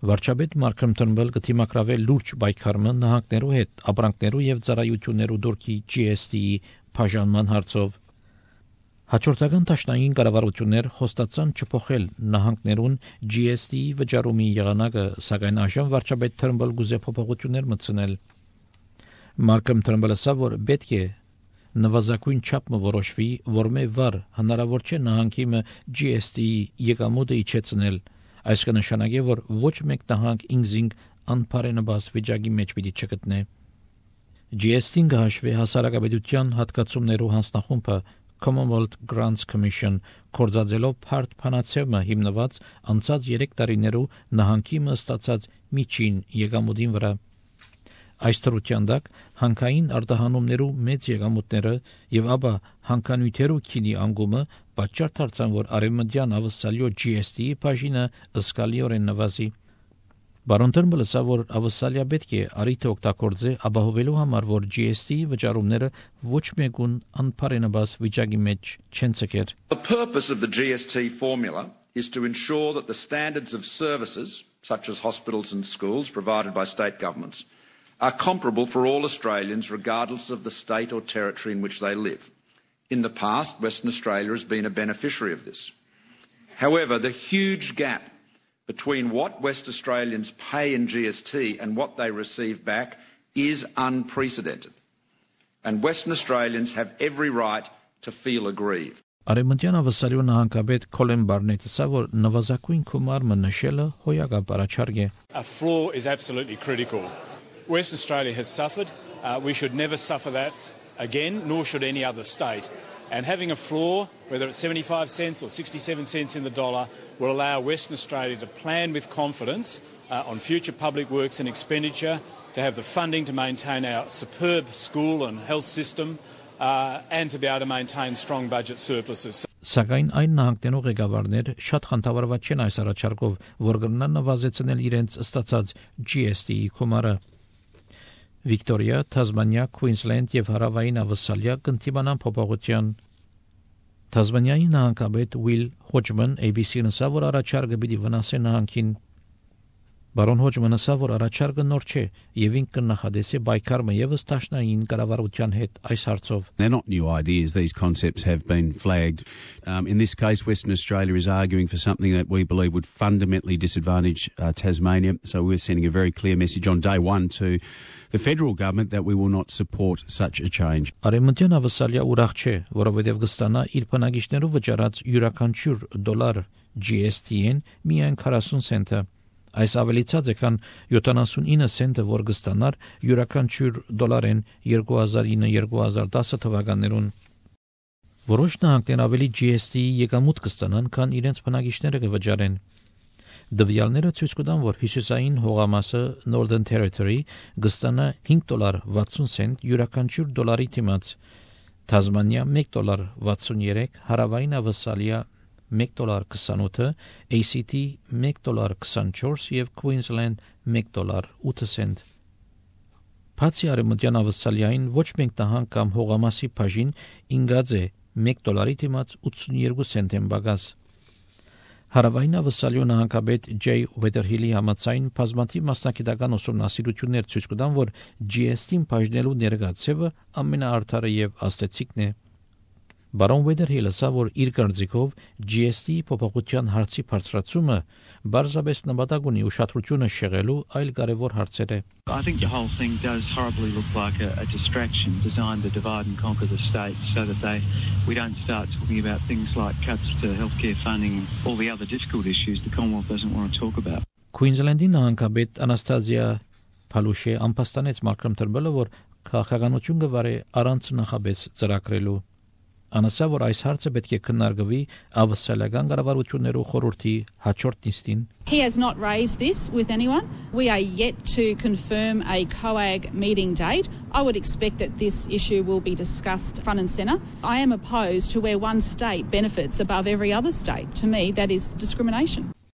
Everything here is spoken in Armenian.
Վարչապետ Մարկրեմ Թըրնբըլը կդիմակրավե լուրջ պայքարը նահանգներու հետ ապրանքներու եւ ծառայություններու դուրքի GST-ի բաժանման հարցով։ Հաջորդական տաշնային կառավարություններ խոստացան չփոխել նահանգներուն GST-ի վճարումի եղանակը, սակայն այժմ վարչապետ Թըրնբըլը գուզե փոփոխություններ մտցնել։ Մարկրեմ Թըրնբըլը ասա, որ պետք է նվազագույն չափը որոշվի, որ մե վար հնարավոր չէ նահանգի GST-ի եկամուտը իջեցնել։ Այս կնշանակի, որ ոչ մեկ նահանգ ինքզինք անբարենպաստ վիճակի մեջ պիտի չգտնե։ GST-ն կհաշվի հասարակապետության հատկացումներու հանձնախումբը Commonwealth Grants Commission կորձածելով բարդ փանացեվը հիմնված անցած 3 տարիներու նահանգի ստացած միջին եկամուտին վրա։ Այս թրության դակ հանքային արտահանումներու մեծ եկամուտները եւ ապա հանքանյութերու քինի անգումը պատճառ դարձան, որ արևմտյան ավսալյո GST-ի բաժինը զգալիորեն նվազի։ Բարոն Թըրնբըլը ասա, որ ավսալիա պետք է արիթը օգտագործե ապահովելու համար, որ GST-ի վճարումները ոչ մեկուն անբարենպաստ վիճակի մեջ չեն ցկեր։ The purpose of the GST formula is to ensure that the standards of services such as hospitals and schools provided by state governments are comparable for all Australians regardless of the state or territory in which they live. In the past, Western Australia has been a beneficiary of this. However, the huge gap between what West Australians pay in GST and what they receive back is unprecedented. And Western Australians have every right to feel aggrieved. Արևմտյան ավսալյո նահանգապետ Քոլեն Բարնետը ասա, որ նվազագույն գումարը նշելը հոյակապ առաջարկ է։ A floor is absolutely critical. Western Australia has suffered. We should never suffer that again, nor should any other state. And having a floor, whether it's 75 cents or 67 cents in the dollar, will allow Western Australia to plan with confidence on future public works and expenditure, to have the funding to maintain our superb school and health system, and to be able to maintain strong budget surpluses. Սակայն այն նահանգներու ղեկավարներ շատ խնդավառված չեն այս առաջարկով, որ կգնան նվազեցնել իրենց ստացած GST-ի գումարը։ Վիկտորիա, Թազմանիա, Քուինսլենդ եւ Հարավային Ավստրալիա կընդդիմանան փոփոխության։ Թազմանիայի նահանգապետ Ուիլ Հոջման ABC-ն ասա, որ առաջարկը պիտի վնասի նահանգին։ Բարոն Հոջմանը ասա, որ առաջարկը նոր չէ եւ ինքը կնախադեսի պայքարը եւս տաշնային կառավարության հետ այս հարցով։ They're not new ideas. These concepts have been flagged. In this case, Western Australia is arguing for something that we believe would fundamentally disadvantage Tasmania. So we're sending a very clear message on day one to the federal government that we will not support such a change. Արևմտյան Ավստրալիա ուրախ չէ, որովհետև կստանա իր բնակիչներու վճարած յուրաքանչյուր $1 GST-ին միայն 40 سنت։ Այս ավելիցած է, քան 79 سنت, որ կստանար յուրաքանչյուր $-ին 2009-2010 թվականներուն։ Որոշ նահանգներ ավելի GST-ի եկամուտ կստանան, քան իրենց բնակիչները կվճարեն։ Դվյալները ցույց կտան, որ հյուսիսային հողամասը Northern Territory կստանա $5.60 յուրաքանչյուր $-ի դիմաց, Թազմանիա $1.63, Հարավային Ավստրալիա $1.28, ACT $1.24 եւ Queensland $1.8։ Բացի արևմտյան Ավստրալիային ոչ մեկ նահանգ կամ հողամասի բաժին ինգած է $1 դիմաց 82 سنت բագաս։ Հարավային Ավստրալիա նահանգապետ Ջեյ Ուեդերհիլի համաձայն բազմաթիվ մասնագիտական ուսումնասիրություններ ցույց կտան, որ GST-ին բաժնելու ներկայացումը ամենաարդարը եւ աստեցիկն է։ Բարոն Ուեդերհիլը ասա, որ իր կարծիքով GST-ի փոփոխության հարցի բարձրացումը բարձրապես նպատակ ունի ուշադրությունը շեղելու այլ կարևոր հարցեր է։ I think the whole thing does horribly look like a distraction designed to divide and conquer the state so that we don't start talking about things like cuts to healthcare funding and all the other difficult issues the Commonwealth doesn't want to talk about. Queensland-ի նահանգապետ Անաստազիա Փալուշե ամփոստանեց Մարկրեմ Թըրնբըլը, որ քաղաքականություն կվարի առանց նախապես ծրագրելու։ Անասա, որ այս հարցը պետք է քննարկվի ավստրալիական կառավարություններու խորհրդի հաջորդ նիստին։ He has not raised this with anyone. We are yet to confirm a COAG meeting date. I would expect that this issue will be discussed front and centre. I am opposed to where one state benefits above every other state. To me, that is discrimination.